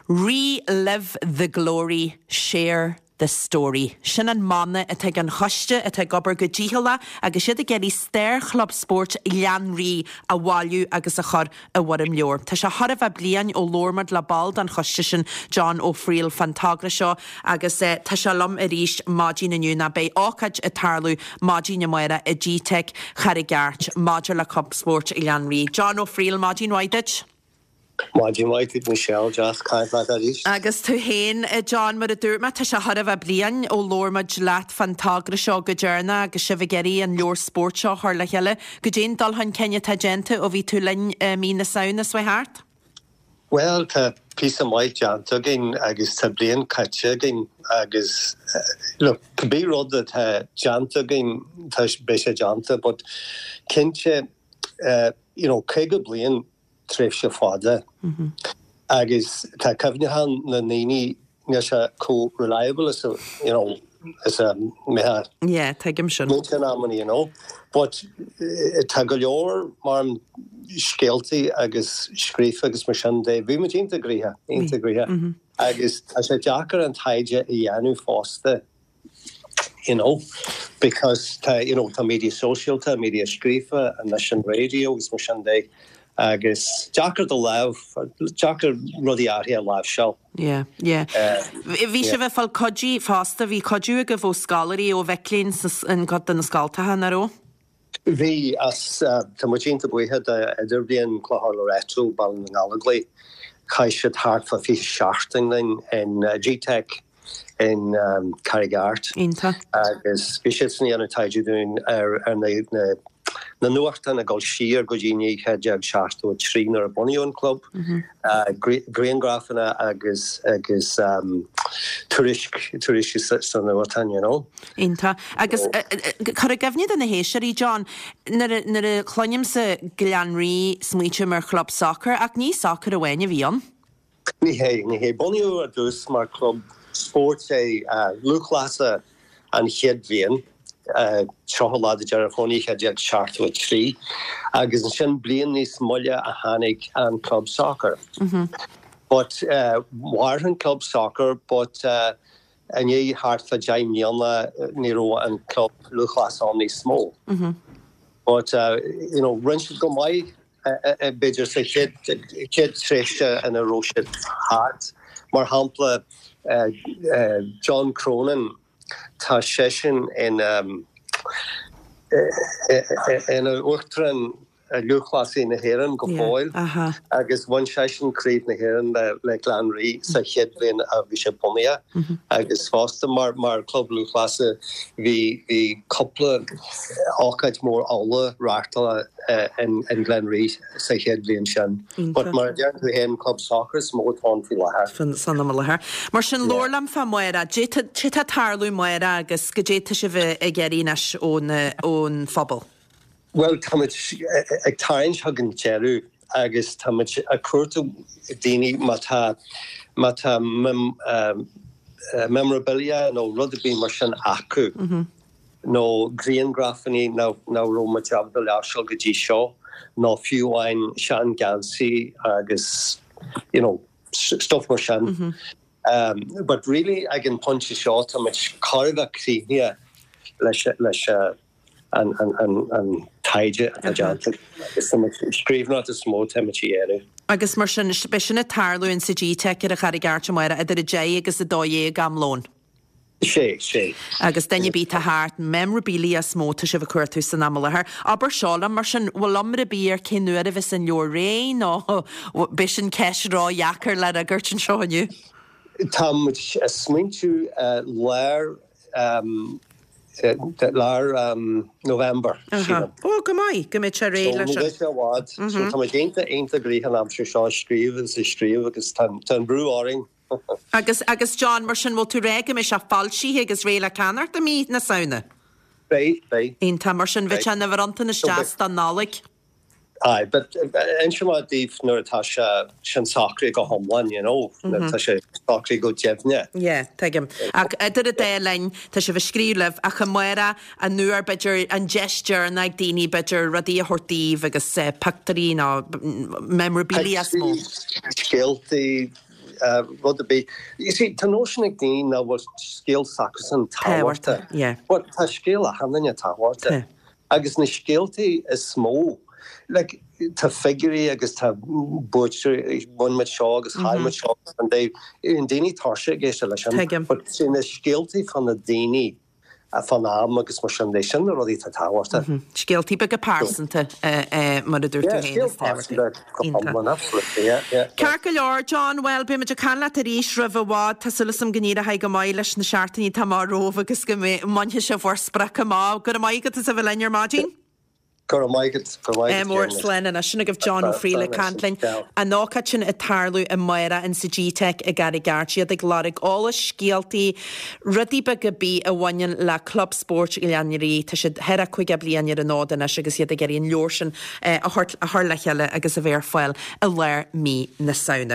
Re-live the glory, share the story. Sin an mana atá ag an choiste atá ag obair go dícheallach agus iad ag iarraidh stair Chlub Spóirt Ghleann Rí a bhailiú agus a chur i bhfoirm leabhair. Tá sé chóir a bheith bliain ó labhair muid le ball den choiste sin, John Ó Frighil, fán togra seo agus tá sé liom arís maidin inniu nó beidh ócáid ag tarlú maidin amárach i GTeic Charraig Airt maidir le Club Spóirt Ghleann Rí. John Ó Frighil, maidin mhaith duit. Maidin mhaith duit Michelle, deas caint leat arís. Agus tú féin, a John, mar a dúirt mé, tá sé chóir a bheith bliain ó labhair muid leat fán togra seo go deireanach agus sibh ag iarraidh an leabhar spóirt seo a chur le chéile. Goidé an dul chun cinn atá déanta ó bhí tú linn i mí na Samhna seo thart? Bhuel, tá píosa maith déanta againn agus tá bliain caite againn agus look, cibé rud atá déanta againn, tá, beidh sé déanta but cinnte, you know, 50 bliain, tréimhse fada agus tá cuimhneachán na ndaoine, níl sé chomh reliable is a, you know, is a mbeadh. Yeah, tuigim sin. Muintir in amanna, you know. But tá go leor mar scéaltaí agus scríofa agus mar sin de. Bhí muid iontach gnoitheach, iontach gnoitheach. Agus tá sé deacair an taighde a dhéanamh fosta. you know, because tá, you know, tá media sóisialta, media scríofa, anois an raidió agus mar sin de agus deacair do lámh, deacair rudaí áirithe a láimhseáil. Yeah, yeah. Bhí sibh ag fáil cuidiú fosta, bhí cuidiú agaibh ó scoláirí, ó mhic léinn in cuid de na scoltacha, nach raibh? Bhí, as, tá muid iontach buíoch de Idirbhliain Clochar Loreto, Baile na nGallóglach. Chaith siad thart fá 20 seachtain linn in GTeic in Carraig Airt. Iontach. Agus bhí siadsan ag déanamh taighde dúinn ar na na nuachtáin ag dul siar go dtí 1973 nuair a bunaíodh an club, grianghrafanna agus agus tuairisc tuairiscí sa nuachtán, you know. Iontach. Agus cuir i gcuimhne do na héisteoirí, John, nuair a nuair a chluinimse Gleann Rí smaoitím ar chlub sacair, ach ní sacar amháin a bhí ann. Ní hé, ní hé. Bunaíodh ar dtús mar chlub spóirt é, lúthchleasa an chéad bhliain, 30 lá de Deireadh Fómhair 1973, agus ansin bliain níos moille a tháinig an club sacair. But mhair an club sacair but i ndiaidh thart fá 10 mbliana ní raibh an club lúthchleasa ann níos mó. But you know rinne siad go maith b'fhéidir sa chéad chéad tréimhse ina raibh siad thart. Mar shampla John Cronin tá seisean ina ina uachtarán Lúthchleasaí na hÉireann go fóill agus bhain seisean Craobh na hÉireann le Gleann Rí sa chéad bhliain a bhí sé bunaithe agus fosta mar mar chlub lúthchleasa bhí bhí cúpla ócáid mór ola reáchtála in in Gleann Rí sa chéad bhliain sin. But mar a deireann tú féin club sacair is mó atá ann faoi láthair. San am i láthair. Mar sin labhair liom fá amárach, cad é tá ag tarlú amárach agus goidé tá sibh ag iarraidh anois ón ón phobal. Bhuel, táimid ag tarraingt chuig an deireadh agus táimid ag cuartú daoine má tá, má tá memorabilia nó rud ar bith mar sin acu nó grianghrafanna nach raibh muid ábalta láimhseáil go dtí seo nó fiú amháin sean-gheansaí agus you know stuff mar sin. But really ag an pointe seo táimid chóir a bheith críochnaithe leis leis an taighde atá déanta agus an scríbhneoireacht is mó atá muid a dhéanamh. Agus mar sin, beidh sin ag tarlú in sa GTeic ar an Charraig Airt amárach idir 10 agus 12 am lóin. Sé, sé. Agus duine ar bith atá thart, memorabilia is mó atá sibh ag cuartú san am i láthair. Abair seo liom, mar sin, bhfuil iomrá ar bith ar cén uair a bheas an leabhar réidh nó beidh sin ceist ródheacair le fhreagairt anseo inniu? Tá muid ag smaointiú lár lár November, sílim. Ó, go maith, go mbeidh sé réidh leis an. So ní bheidh sé i bhfad. So tá muid iontach, iontach gnoitheach an aimsir seo ag scríobh agus ag scríobh agus tá an brú orainn. Agus, agus John, mar sin, bhfuil tú ag rá go mbeidh sé foilsithe agus réidh le ceannacht i mí na Samhna? Beidh, beidh. Iontach, mar sin, bheadh sé ina bhronntanas deas don Nollaig. Aye, but inseoidh mé daoibh nuair atá sé sin socraithe go hiomlán, you know, nuair atá sé socraithe go deimhne. Yeah, tuigim. Ach idir an dá linn, tá sibh ag scríobh libh, ach amárach, an uair, b'fhéidir, an deis deireanach ag daoine, b'fhéidir, rudaí a thabhairt daoibh agus pictiúirí nó memorabilia is mó. Pictiúirí, scéaltaí. rud ar bith. You see, tá nóisean ag daoine nach bhfuil scéal s'acusan tábhachtach. Yeah. But tá scéal achan duine tábhachtach. Agus na scéaltaí is mó, like, tá figiúirí agus tá buaiteoirí, bhain muid seo agus chaill muid seo agus an dtaobh, bíonn daoine tuirseach ag éisteacht leis sin. Tuigim. But see na scéaltaí fá na daoine, fán am agus mar sin de, sin na rudaí atá tábhachtach. Scéaltaí beaga pearsanta, mar a dúirt tú féin, is tábhachtaí. Yeah, scéal pearsanta go hiomlán, absolutely, yeah, yeah. Ceart go leor, John, bhuel, beidh muid ag caint leat arís roimh i bhfad. Tá súil agam go n-éireoidh go maith leis na seachtainí atá amach romhaibh agus go mbainfidh sibh bhur sprioc amach. Go raibh maith agat as a bheith linn ar maidin. Go raibh maith agat, go raibh maith agat, Mór slán anois. Sin agaibh John Ó Frighil ag caint linn. An ócáid sin ag tarlú amárach in sa G-Teic i gCarraig Airt. Iad ag lorg eolas, scéaltaí, rudaí beaga ar bith a bhaineann le Club Spóirt Ghleann Rí. Tá siad thar a 50 bliain ar an fhód anois agus iad ag iarraidh an leabhar sin a chur le chéile agus a bheith ar fáil i lár mí na Samhna.